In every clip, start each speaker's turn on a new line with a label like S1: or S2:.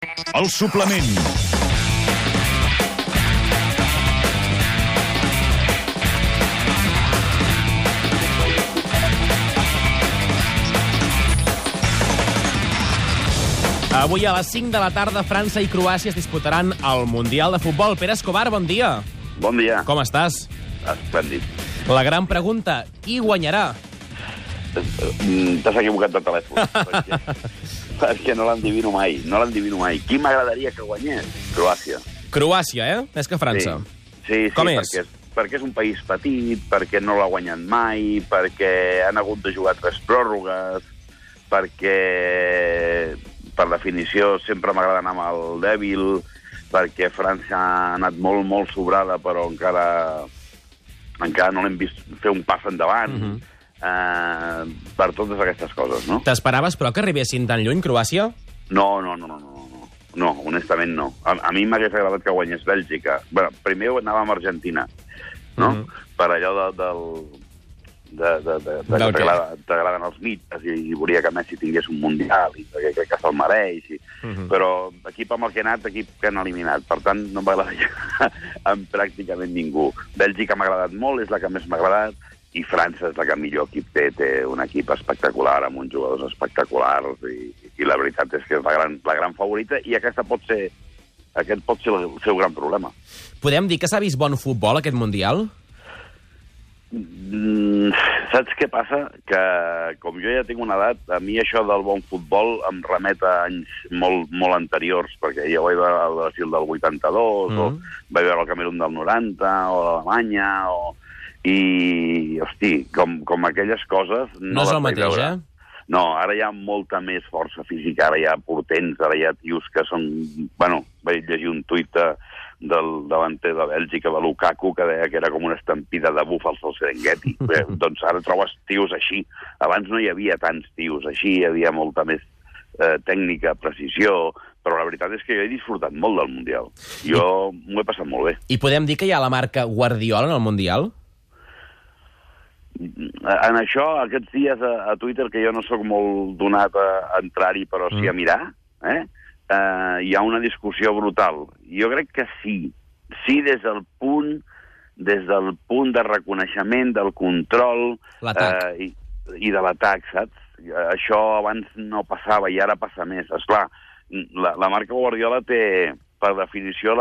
S1: El suplement.
S2: Avui a les 5 de la tarda, França i Croàcia es disputaran el Mundial de Futbol. Pere Escobar, bon dia.
S3: Bon dia.
S2: Com estàs?
S3: Esplèndid.
S2: La gran pregunta, qui guanyarà?
S3: T'has equivocat de telèfon. perquè no l'endivino mai. No l'endivino mai. Qui m'agradaria que guanyés? Croàcia.
S2: Croàcia, Més que França.
S3: Sí,
S2: Com és?
S3: Perquè és un país petit, perquè no l'ha guanyat mai, perquè han hagut de jugar 3 pròrrogues, perquè, per definició, sempre m'agrada anar amb el dèbil, perquè França ha anat molt, molt sobrada, però encara no l'hem vist fer un pas endavant. Per totes aquestes coses, no?
S2: T'esperaves, però, que arribessin tan lluny, Croàcia?
S3: No, honestament no. A mi m'hagués agradat que guanyés Bèlgica. Bé, primer anava amb Argentina, no? Per allò que t'agraden els mites i volia que Messi tingués un Mundial i perquè crec que se'l mereix. Però equip amb el que he anat, equip que han eliminat. Per tant, no m'agradaria amb pràcticament ningú. Bèlgica m'ha agradat molt, és la que més m'ha agradat, i França és la que millor equip té. Té un equip espectacular, amb uns jugadors espectaculars, i la veritat és que és la gran favorita, i aquest pot ser el seu gran problema.
S2: Podem dir que s'ha vist bon futbol, aquest Mundial?
S3: Saps què passa? Que, com jo ja tinc una edat, a mi això del bon futbol em remet a anys molt, molt anteriors, perquè ja vaig veure el Brasil del 82, o vaig veure el Camerun del 90, o l'Alemanya, i, hosti, com aquelles coses...
S2: No és el mateix,
S3: No, ara hi ha molta més força física, ara hi ha portents, ara hi ha tios que són... Bueno, vaig llegir un tuit del davanter de Bèlgica, de Lukaku, que deia que era com una estampida de búfals al Serengeti. Doncs ara trobes tios així. Abans no hi havia tants tios així, hi havia molta més tècnica, precisió, però la veritat és que jo he disfrutat molt del Mundial. Jo m'ho he passat molt bé.
S2: I podem dir que hi ha la marca Guardiola en el Mundial?
S3: En això, aquests dies a Twitter, que jo no sóc molt donat a entrar-hi, però sí a mirar, hi ha una discussió brutal. Jo crec que sí. Sí, des del punt de reconeixement, del control i de l'atac, saps? Això abans no passava i ara passa més. Esclar, la marca Guardiola té, per definició,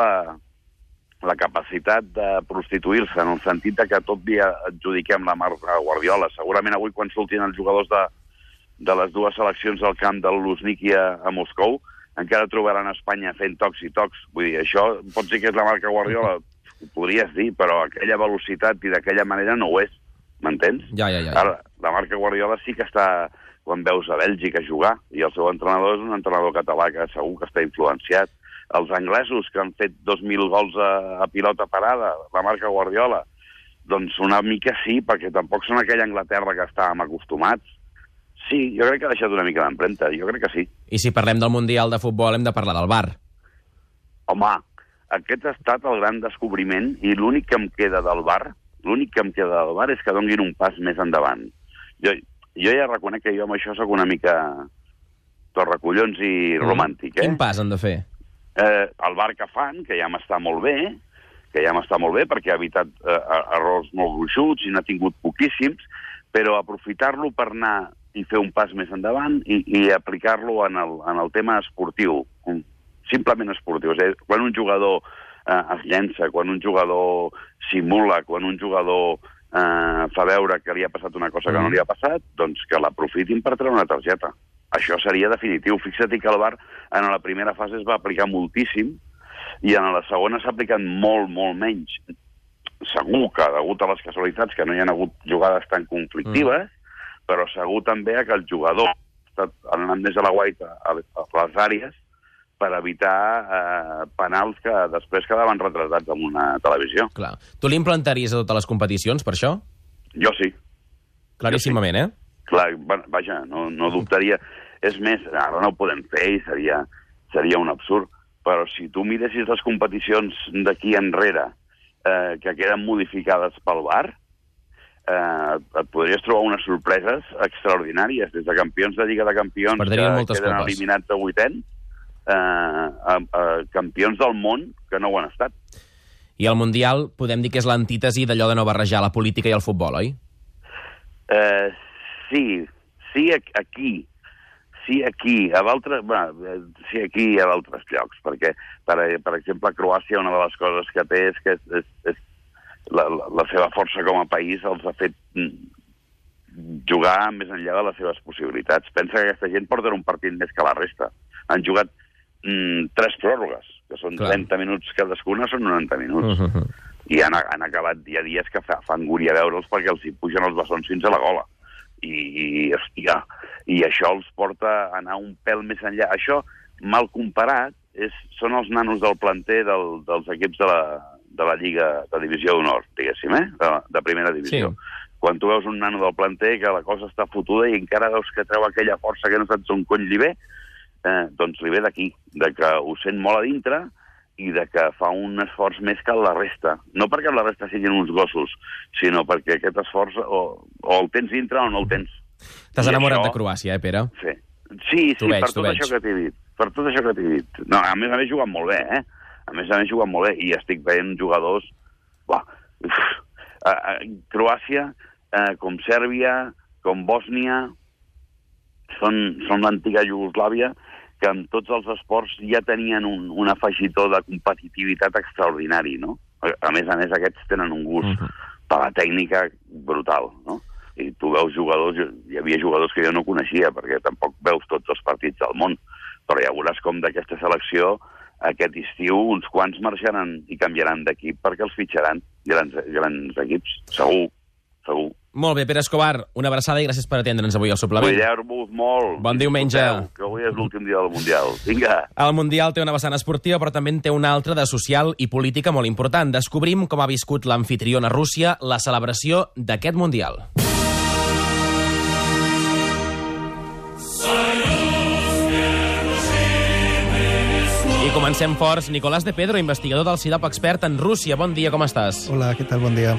S3: la capacitat de prostituir-se, en el sentit que tot dia adjudiquem la marca Guardiola. Segurament avui, quan surtin els jugadors de les dues seleccions al camp del Luzhniki a Moscou, encara trobaran a Espanya fent tocs i tocs. Vull dir, això pot ser que és la marca Guardiola, ho podries dir, però aquella velocitat i d'aquella manera no ho és, m'entens?
S2: Ja.
S3: Ara, la marca Guardiola sí que està, quan veus a Bèlgica jugar, i el seu entrenador és un entrenador català que segur que està influenciat. Els anglesos, que han fet 2.000 gols a pilota parada, la marca Guardiola, doncs una mica sí, perquè tampoc són aquella Anglaterra que estàvem acostumats. Sí, jo crec que ha deixat una mica d'empremta, jo crec que sí.
S2: I si parlem del Mundial de Futbol, hem de parlar del VAR.
S3: Home, aquest ha estat el gran descobriment, i l'únic que em queda del VAR és que donguin un pas més endavant. Jo ja reconec que jo amb això soc una mica torracollons i romàntic,
S2: Quin pas han de fer?
S3: El VAR que fan, que ja m'està molt bé, perquè ha evitat errors molt gruixuts i n'ha tingut poquíssims, però aprofitar-lo per anar i fer un pas més endavant i aplicar-lo en el tema esportiu, simplement esportiu. És a dir, quan un jugador es llença, quan un jugador simula, quan un jugador fa veure que li ha passat una cosa que no li ha passat, doncs que l'aprofitin per treure una targeta. Això seria definitiu. Fixa't que el VAR en la primera fase es va aplicar moltíssim i en la segona s'ha aplicat molt, molt menys. Segur que, degut a les casualitats, que no hi ha hagut jugades tan conflictives, però segur també que el jugador ha anat més a la guaita a les àrees per evitar penals que després quedaven retratats en una televisió.
S2: Clar. Tu l'implantaries a totes les competicions, per això?
S3: Jo sí.
S2: Claríssimament,
S3: Clar, vaja, no dubtaria. És més, ara no ho podem fer i seria un absurd, però si tu miressis les competicions d'aquí enrere que queden modificades pel VAR, et podries trobar unes sorpreses extraordinàries, des de campions de Lliga de Campions que queden eliminats a vuitens, campions del món que no ho han estat.
S2: I el Mundial podem dir que és l'antítesi d'allò de no barrejar la política i el futbol, oi?
S3: Sí, aquí. Sí, aquí. Sí, aquí i a d'altres llocs, perquè, per exemple, Croàcia, una de les coses que té és que la seva força com a país els ha fet jugar més enllà de les seves possibilitats. Pensa que aquesta gent porta un partit més que la resta. Han jugat 3 pròrrogues, que són 30 minuts cadascuna, són 90 minuts. I han acabat, hi ha dies que fa angúnia veure'ls perquè els hi pugen els bessons fins a la gola. I això els porta a anar un pèl més enllà. Això, mal comparat, són els nanos del planter dels equips de la Lliga de Divisió d'Honor, diguéssim, de primera divisió. Sí. Quan tu veus un nano del planter que la cosa està fotuda i encara veus que treu aquella força que no saps on cony li ve, doncs li ve d'aquí, de que ho sent molt a dintre i de que fa un esforç més que la resta. No perquè la resta siguin uns gossos, sinó perquè aquest esforç o el tens dintre o no el tens.
S2: T'has enamorat de Croàcia, Pere?
S3: Sí, per tot això que t'he dit. Per tot això que t'he dit. No, a més juguen molt bé, A més juguen molt bé i estic veient jugadors... Croàcia, com Sèrbia, com Bòsnia, són l'antiga Iugoslàvia, que en tots els esports ja tenien un afegitó de competitivitat extraordinari, no? A més, aquests tenen un gust per la tècnica brutal, no? I tu veus jugadors, hi havia jugadors que jo no coneixia, perquè tampoc veus tots els partits del món, però ja veuràs com d'aquesta selecció aquest estiu uns quants marxaran i canviaran d'equip perquè els fitxaran grans equips, segur.
S2: Molt bé, Pere Escobar, una abraçada i gràcies per atendre'ns avui al suplement.
S3: Cuideu-vos molt.
S2: Bon diumenge.
S3: Que avui és l'últim dia del Mundial. Vinga.
S2: El Mundial té una vessant esportiva, però també en té una altra de social i política molt important. Descobrim com ha viscut l'amfitriona Rússia la celebració d'aquest Mundial. I comencem forts. Nicolás de Pedro, investigador del CIDAP expert en Rússia. Bon dia, com estàs?
S1: Hola, què tal? Bon dia.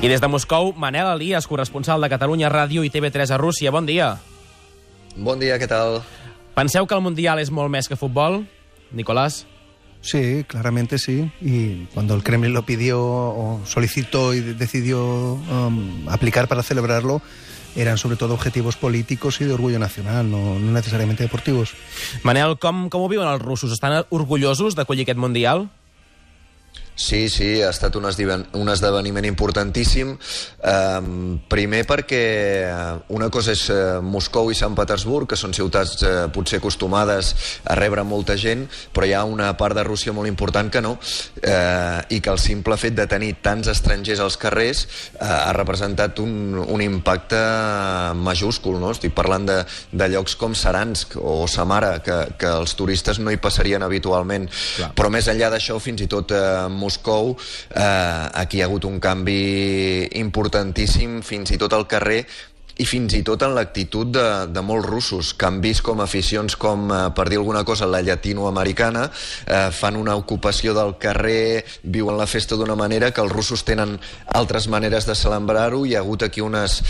S2: I des de Moscou, Manel Elias, corresponsal de Catalunya Ràdio i TV3 a Rússia. Bon dia.
S4: Bon dia, què tal?
S2: Penseu que el Mundial és molt més que futbol, Nicolás?
S1: Sí, claramente sí. Y cuando el Kremlin lo pidió o solicitó y decidió aplicar para celebrarlo, eran sobre todo objetivos políticos y de orgullo nacional, no necesariamente deportivos.
S2: Manel, com ho viuen els russos? Estan orgullosos d'acollir aquest Mundial?
S4: Sí, ha estat un esdeveniment importantíssim. Primer perquè una cosa és Moscou i Sant Petersburg, que són ciutats potser acostumades a rebre molta gent, però hi ha una part de Rússia molt important que no, i que el simple fet de tenir tants estrangers als carrers ha representat un impacte majúscul, no? Estic parlant de llocs com Saransk o Samara, que els turistes no hi passarien habitualment. Clar. Però més enllà d'això, fins i tot Moscou, aquí hi ha hagut un canvi importantíssim, fins i tot al carrer, i fins i tot en l'actitud de molts russos, que han vist com aficions com, per dir alguna cosa, la llatinoamericana, fan una ocupació del carrer, viuen la festa d'una manera que els russos tenen altres maneres de celebrar-ho, i hi ha hagut aquí unes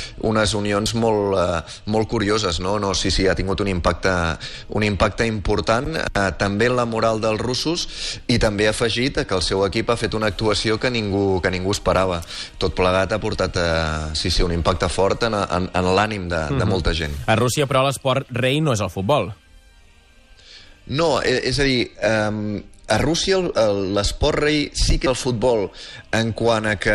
S4: unions molt curioses, no? Sí, ha tingut un impacte important, també en la moral dels russos, i també ha afegit que el seu equip ha fet una actuació que ningú esperava. Tot plegat ha portat un impacte fort en l'ànim de molta gent.
S2: A Rússia, però, l'esport rei no és el futbol.
S4: No, és a dir, a Rússia l'esport rei sí que el futbol, en quant a que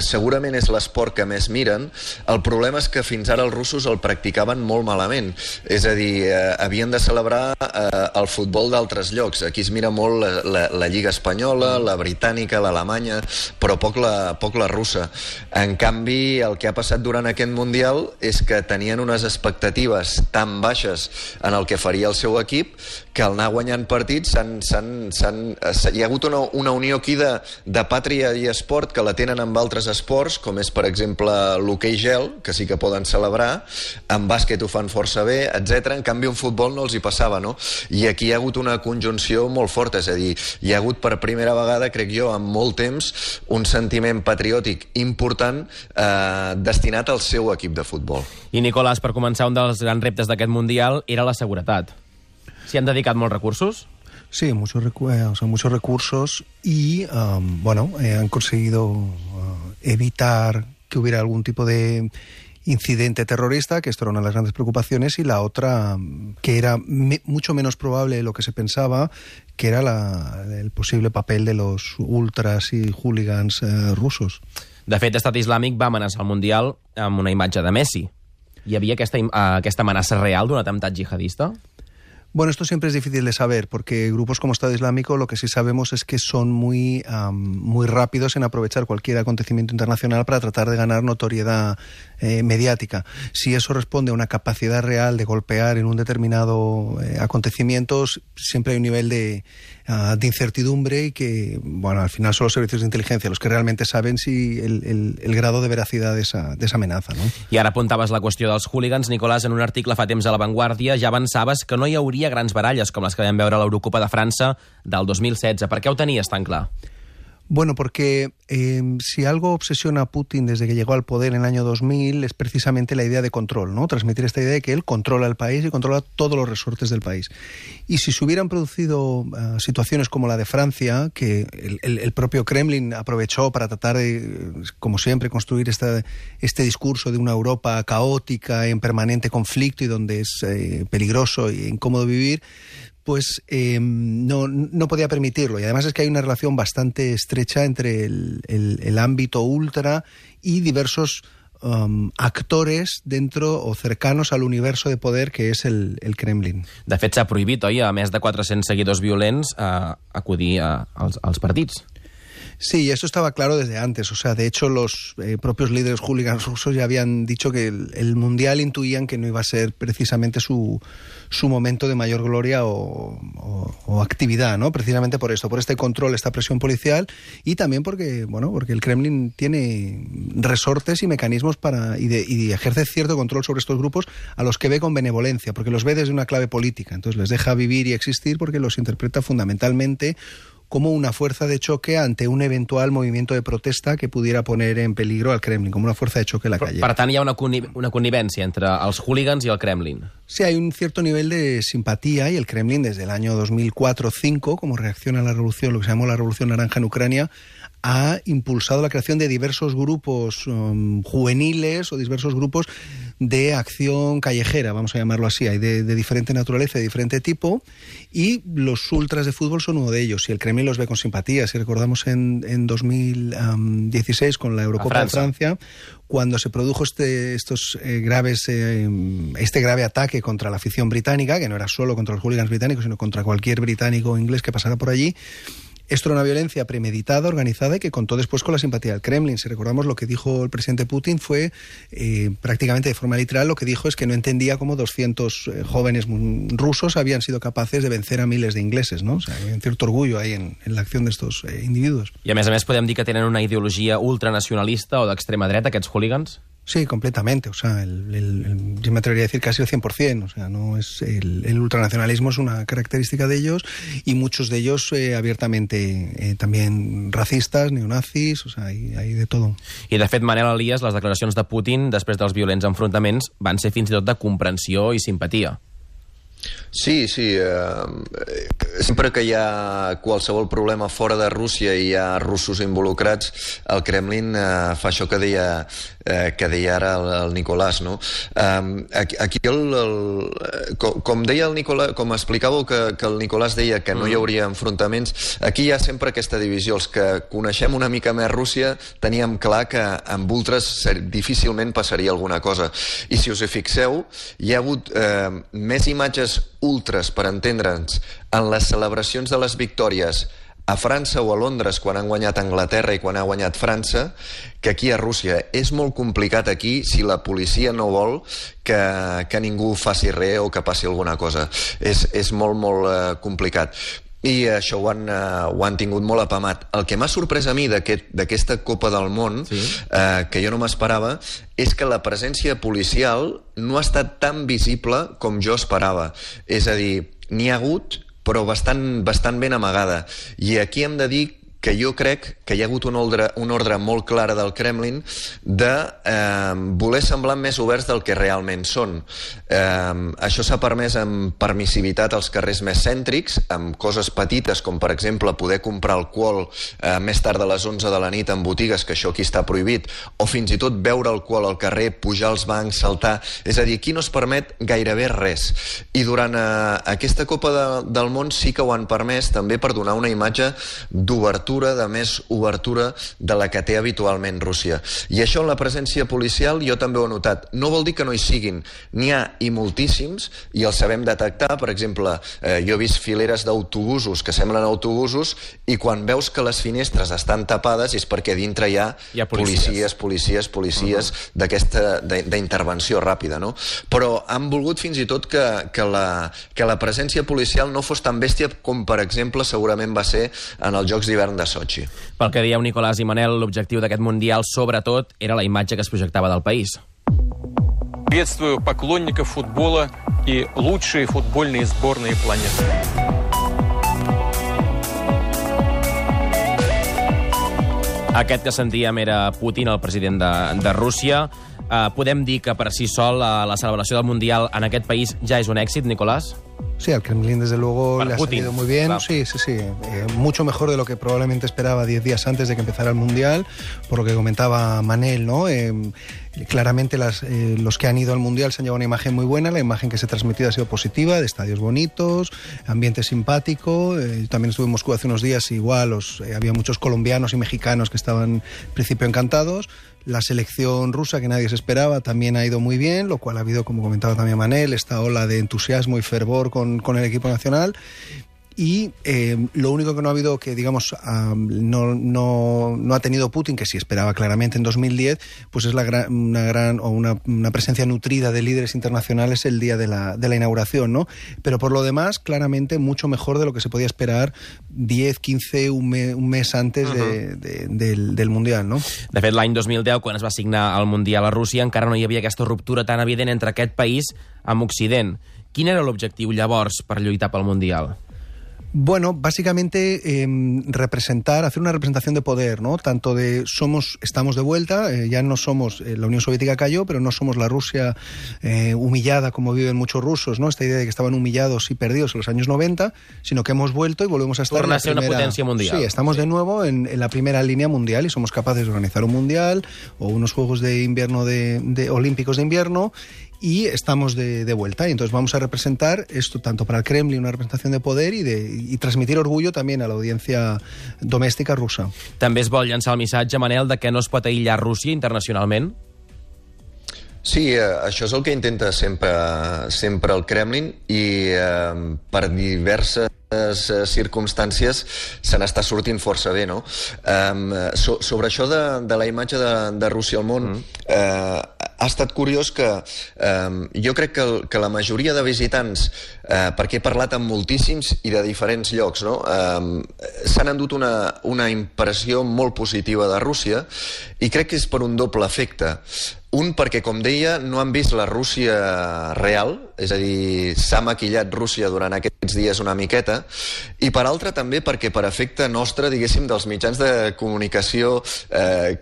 S4: segurament és l'esport que més miren. El problema és que fins ara els russos el practicaven molt malament. És a dir, havien de celebrar el futbol d'altres llocs. Aquí es mira molt la Lliga Espanyola, la britànica, l'alemanya, però poc la russa. En canvi, el que ha passat durant aquest Mundial és que tenien unes expectatives tan baixes en el que faria el seu equip que al anar guanyant partits hi ha hagut una unió aquí de pàtria i esport que la tenen amb altres esports, com és, per exemple, l'hoquei gel, que sí que poden celebrar, en bàsquet ho fan força bé, etc. En canvi, en futbol no els hi passava, no? I aquí hi ha hagut una conjunció molt forta, és a dir, hi ha hagut per primera vegada, crec jo, en molt temps, un sentiment patriòtic important destinat al seu equip de futbol.
S2: I, Nicolás, per començar, un dels grans reptes d'aquest Mundial era la seguretat. S'hi han dedicat molts recursos?
S1: Sí, muchos recursos y, han conseguido evitar que hubiera algún tipo de incidente terrorista, que esto era una de las grandes preocupaciones, y la otra, que era mucho menos probable de lo que se pensaba, que era el posible papel de los ultras i hooligans russos.
S2: De fet, Estat Islàmic va amenaçar el Mundial amb una imatge de Messi. Hi havia aquesta amenaça real d'un atemptat jihadista?
S1: Bueno, esto siempre es difícil de saber, porque grupos como Estado Islámico lo que sí sabemos es que son muy rápidos en aprovechar cualquier acontecimiento internacional para tratar de ganar notoriedad mediática. Si eso responde a una capacidad real de golpear en un determinado acontecimiento, siempre hay un nivel de incertidumbre y que, bueno, al final son los servicios de inteligencia los que realmente saben si el grado de veracidad de esa amenaza, no?
S2: I ara apuntaves la qüestió dels hooligans. Nicolàs, en un article fa temps a La Vanguardia ja avançaves que no hi hauria grans baralles com les que vam veure a l'Eurocopa de França del 2016. Per què ho tenies tan clar?
S1: Bueno, porque si algo obsesiona a Putin desde que llegó al poder en el año 2000 es precisamente la idea de control, ¿no? Transmitir esta idea de que él controla el país y controla todos los resortes del país. Y si se hubieran producido situaciones como la de Francia, que el propio Kremlin aprovechó para tratar de, como siempre, construir este discurso de una Europa caótica, en permanente conflicto y donde es peligroso e incómodo vivir, pues no podía permitirlo. Y además es que hay una relación bastante estrecha entre el ámbito ultra y diversos actores dentro o cercanos al universo de poder que és el Kremlin.
S2: De fet, s'ha prohibit, oi, a més de 400 seguidors violents, acudir als partits.
S1: Sí, eso estaba claro desde antes. O sea, de hecho, los propios líderes hooligans rusos ya habían dicho que el Mundial intuían que no iba a ser precisamente su momento de mayor gloria o actividad, ¿no? Precisamente por esto, por este control, esta presión policial, y también porque el Kremlin tiene resortes y mecanismos y ejerce cierto control sobre estos grupos a los que ve con benevolencia, porque los ve desde una clave política. Entonces les deja vivir y existir porque los interpreta fundamentalmente como una fuerza de choque ante un eventual movimiento de protesta que pudiera poner en peligro al Kremlin, como una fuerza de choque en la calle.
S2: Per tant, hi ha una connivència entre els hooligans i el Kremlin.
S1: Sí, hay un cierto nivel de simpatía y el Kremlin desde el año 2004-2005, como reacción a la revolución, lo que se llamó la Revolución Naranja en Ucrania, ha impulsado la creación de diversos grupos juveniles o diversos grupos de acción callejera, vamos a llamarlo así. Hay de diferente naturaleza, de diferente tipo, y los ultras de fútbol son uno de ellos, y el Kremlin los ve con simpatía. Si recordamos en 2016 con la Eurocopa de Francia, cuando se produjo este grave ataque contra la afición británica, que no era solo contra los hooligans británicos, sino contra cualquier británico o inglés que pasara por allí, esto era una violencia premeditada, organizada y que contó después con la simpatía del Kremlin. Si recordamos, lo que dijo el presidente Putin fue prácticamente de forma literal, lo que dijo es que no entendía cómo 200 jóvenes rusos habían sido capaces de vencer a miles de ingleses, ¿no? O sea, hay un cierto orgullo ahí en la acción de estos individuos.
S2: I a més podem dir que tenen una ideologia ultranacionalista o d'extrema dreta, aquests hooligans?
S1: Sí, completamente. O sea, yo me atrevería a decir casi el 100%. O sea, no es el ultranacionalismo es una característica de ellos, y muchos de ellos abiertamente también racistas, neonazis, o sea, hay de todo.
S2: I de fet, Manel Elias, les declaracions de Putin després dels violents enfrontaments van ser fins i tot de comprensió i simpatia.
S4: Sí, sempre que hi ha qualsevol problema fora de Rússia i hi ha russos involucrats, el Kremlin fa això que deia ara el Nicolàs, no? Aquí com deia el Nicolàs, com explicàveu que el Nicolàs deia que no hi hauria enfrontaments, aquí hi ha sempre aquesta divisió. Els que coneixem una mica més Rússia teníem clar que amb ultras difícilment passaria alguna cosa, i si us hi fixeu, hi ha hagut més imatges ultras, per entendre'ns, en les celebracions de les victòries a França o a Londres quan han guanyat Anglaterra i quan ha guanyat França, que aquí a Rússia. És molt complicat aquí si la policia no vol que ningú faci res o que passi alguna cosa. És molt complicat. I això ho han tingut molt apamat. El que m'ha sorprès a mi d'aquesta Copa del Món, que jo no m'esperava, és que la presència policial no ha estat tan visible com jo esperava. És a dir, n'hi ha hagut, però bastant ben amagada. I aquí hem de dir que jo crec que hi ha hagut una ordre molt clara del Kremlin de voler semblar més oberts del que realment són. Això s'ha permès amb permissivitat als carrers més cèntrics, amb coses petites com per exemple poder comprar alcohol més tard de les 11 de la nit en botigues, que això aquí està prohibit, o fins i tot beure alcohol al carrer, pujar als bancs, saltar. És a dir, aquí no es permet gairebé res. I durant aquesta Copa del Món sí que ho han permès també per donar una imatge d'obertura, de més obertura de la que té habitualment Rússia. I això en la presència policial jo també ho he notat. No vol dir que no hi siguin. N'hi ha i moltíssims, i els sabem detectar. Per exemple, jo he vist fileres d'autobusos que semblen autobusos, i quan veus que les finestres estan tapades és perquè dintre hi ha policies d'aquesta d'intervenció ràpida, no? Però han volgut fins i tot que la presència policial no fos tan bèstia com, per exemple, segurament va ser en els Jocs d'hivern de Sochi.
S2: Pel que dieu Nicolás i Manel, l'objectiu d'aquest Mundial, sobretot, era la imatge que es projectava del país.
S5: Приветствую поклонников футбола и лучшие футбольные сборные планеты.
S2: Aquest que sentíem era Putin, el president de Rússia. Podem dir que per si sol la celebració del Mundial en aquest país ja és un èxit, Nicolás?
S1: Sí, al Kremlin desde luego
S2: para
S1: le ha
S2: Putin,
S1: salido muy bien.
S2: Claro.
S1: Sí. Mucho mejor de lo que probablemente esperaba 10 días antes de que empezara el Mundial, por lo que comentaba Manel, ¿no? Claramente los que han ido al Mundial se han llevado una imagen muy buena, la imagen que se ha transmitido ha sido positiva, de estadios bonitos, ambiente simpático. También estuve en Moscú hace unos días, igual había muchos colombianos y mexicanos que estaban en principio encantados. La selección rusa, que nadie se esperaba, también ha ido muy bien, lo cual ha habido, como comentaba también Manel, esta ola de entusiasmo y fervor con el equipo nacional. Y lo único que no ha habido, que digamos no ha tenido Putin, que sí esperaba claramente en 2010, pues es una presencia nutrida de líderes internacionales el día de la inauguración, ¿no? Pero por lo demás, claramente mucho mejor de lo que se podía esperar 10, 15, un mes antes del Mundial, no?
S2: De fet, l'any 2010, quan es va signar el Mundial a Rússia, encara no hi havia aquesta ruptura tan evident entre aquest país amb Occident. Quin era l'objectiu llavors per lluitar pel Mundial?
S1: Bueno, básicamente hacer una representación de poder, ¿no? Tanto estamos de vuelta, ya no somos, la Unión Soviética cayó, pero no somos la Rusia humillada como viven muchos rusos, ¿no? Esta idea de que estaban humillados y perdidos en los años 90, sino que hemos vuelto y volvemos a estar
S2: en la primera... una potencia mundial.
S1: Sí, estamos de nuevo en la primera línea mundial y somos capaces de organizar un mundial o unos Juegos de Invierno olímpicos de invierno, y estamos de vuelta. Y entonces vamos a representar esto tanto para el Kremlin, una representación de poder, y transmitir orgullo también a la audiencia domèstica russa.
S2: També es vol llançar el missatge, Manel, de que no es pot aïllar Rússia internacionalment?
S4: Sí, això és el que intenta sempre el Kremlin, i per diverses circumstàncies se n'està sortint força bé, no? Sobre això de la imatge de Rússia al món, ha estat curiós que jo crec que la majoria de visitants, perquè he parlat amb moltíssims i de diferents llocs, no? S'han endut una impressió molt positiva de Rússia, i crec que és per un doble efecte. Un, perquè, com deia, no han vist la Rússia real, és a dir, s'ha maquillat Rússia durant aquests dies una miqueta, i per altra també perquè per efecte nostre, diguéssim, dels mitjans de comunicació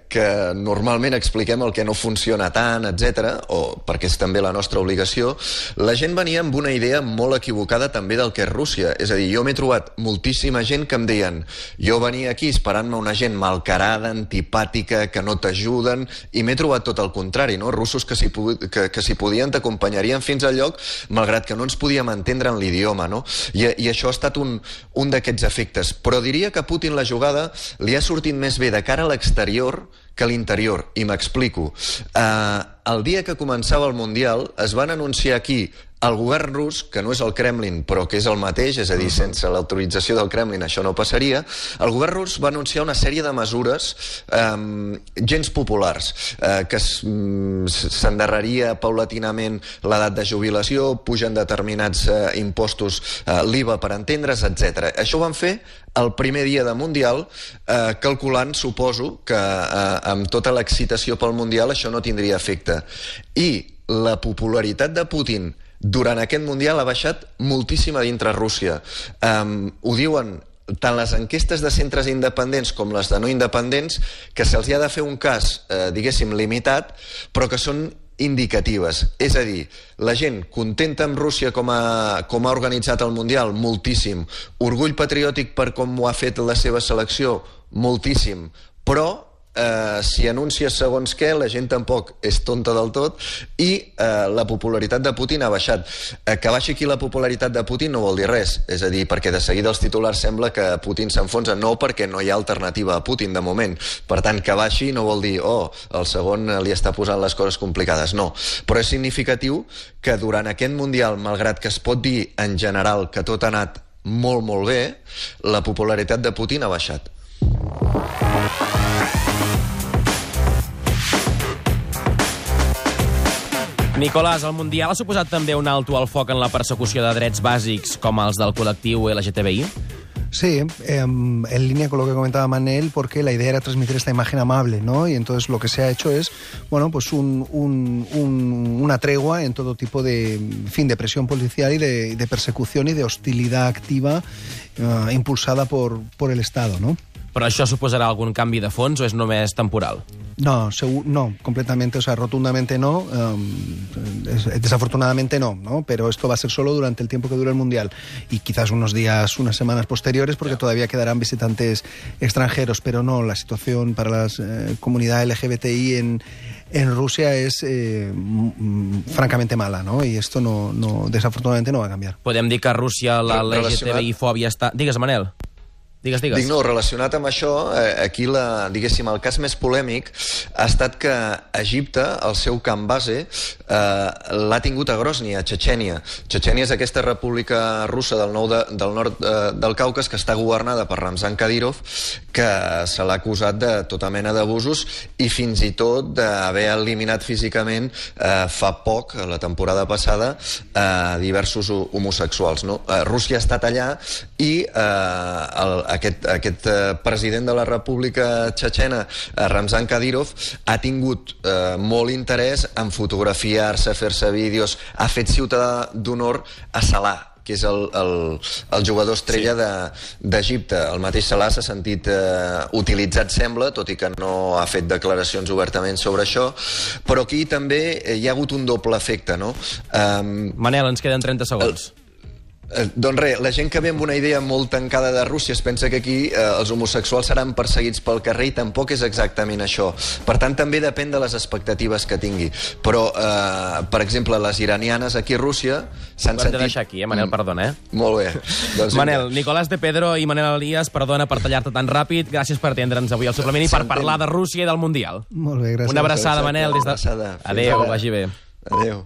S4: que normalment expliquem el que no funciona tant, etc., o perquè és també la nostra obligació, la gent venia amb una idea molt equivocada també del que és Rússia. És a dir, jo m'he trobat moltíssima gent que em deien, jo venia aquí esperant-me una gent malcarada, antipàtica, que no t'ajuden, i m'he trobat tot el contrari, no? Russos que si podien t'acompanyarien fins al lloc, malgrat que no ens podíem entendre en l'idioma, no? I això ha estat un d'aquests efectes. Però diria que a Putin la jugada li ha sortit més bé de cara a l'exterior que a l'interior, i m'explico. El dia que començava el Mundial es van anunciar aquí el govern rus, que no és el Kremlin, però que és el mateix, és a dir, sense l'autorització del Kremlin això no passaria, el govern rus va anunciar una sèrie de mesures gens populars, que s'endarreria paulatinament l'edat de jubilació, pugen determinats impostos, l'IVA per entendre's, etc. Això ho van fer el primer dia de Mundial, calculant, suposo, que amb tota l'excitació pel Mundial això no tindria efecte. I la popularitat de Putin durant aquest Mundial ha baixat moltíssim a dintre Rússia. Ho diuen tant les enquestes de centres independents com les de no independents, que se'ls ha de fer un cas, diguéssim, limitat, però que són indicatives. És a dir, la gent contenta amb Rússia com ha organitzat el Mundial, moltíssim. Orgull patriòtic per com ho ha fet la seva selecció, moltíssim. Però si anuncies segons què, la gent tampoc és tonta del tot i la popularitat de Putin ha baixat. Que baixi aquí la popularitat de Putin no vol dir res, és a dir, perquè de seguida els titulars sembla que Putin s'enfonsa, no, perquè no hi ha alternativa a Putin de moment. Per tant, que baixi no vol dir el segon li està posant les coses complicades, no. Però és significatiu que durant aquest Mundial, malgrat que es pot dir en general que tot ha anat molt, molt bé, la popularitat de Putin ha baixat.
S2: Nicolàs, el Mundial ha suposat també un alto al foc en la persecució de drets bàsics com els del col·lectiu LGTBI?
S1: Sí, en línea con lo que comentaba Manel, porque la idea era transmitir esta imagen amable, ¿no? Y entonces lo que se ha hecho es, bueno, pues una tregua en todo tipo de, en fin, de presión policial y de persecución y de hostilidad activa impulsada por el Estado, ¿no?
S2: Però això suposarà algun canvi de fons o és només temporal?
S1: No, completamente, o sea, rotundamente no, desafortunadamente no, pero esto va a ser solo durante el tiempo que dure el Mundial y quizás unos días, unas semanas posteriores, porque todavía quedarán visitantes extranjeros, pero no, la situación para la comunidad LGBTI en Rusia es francamente mala, ¿no? Y esto no desafortunadamente no va a cambiar.
S2: Podem dir que a Rússia la LGTBI-fòbia està... Digues, Manel. Digues.
S4: Dic, no, relacionat amb això, aquí, diguéssim, el cas més polèmic ha estat que Egipte, el seu camp base, l'ha tingut a Grozny, a Txetxènia. Txetxènia és aquesta república russa del nord del Caucas que està governada per Ramzan Kadyrov, que se l'ha acusat de tota mena d'abusos i fins i tot d'haver eliminat físicament fa poc, la temporada passada, diversos homosexuals. No? Rússia ha estat allà i aquest president de la República Txetxena, Ramzan Kadyrov, ha tingut molt interès en fotografiar-se, fer-se vídeos, ha fet ciutadà d'honor a Salah, que és el jugador estrella d'Egipte. El mateix Salah s'ha sentit utilitzat, sembla, tot i que no ha fet declaracions obertament sobre això, però aquí també hi ha hagut un doble efecte, no?
S2: Manel, ens queden 30 segons.
S4: Doncs res, la gent que ve amb una idea molt tancada de Rússia es pensa que aquí els homosexuals seran perseguits pel carrer i tampoc és exactament això. Per tant, també depèn de les expectatives que tingui. Però, per exemple, les iranianes aquí a Rússia s'han sentit...
S2: Ho hem de deixar aquí, Manel, perdona,
S4: Molt bé. Doncs
S2: Manel, Nicolàs de Pedro i Manel Elias, perdona per tallar-te tan ràpid, gràcies per atendre'ns avui al suplement i per parlar de Rússia i del Mundial.
S1: Molt bé, gràcies.
S2: Una abraçada, Manel.
S4: Una abraçada.
S2: Adéu, vagi bé.
S4: Adéu.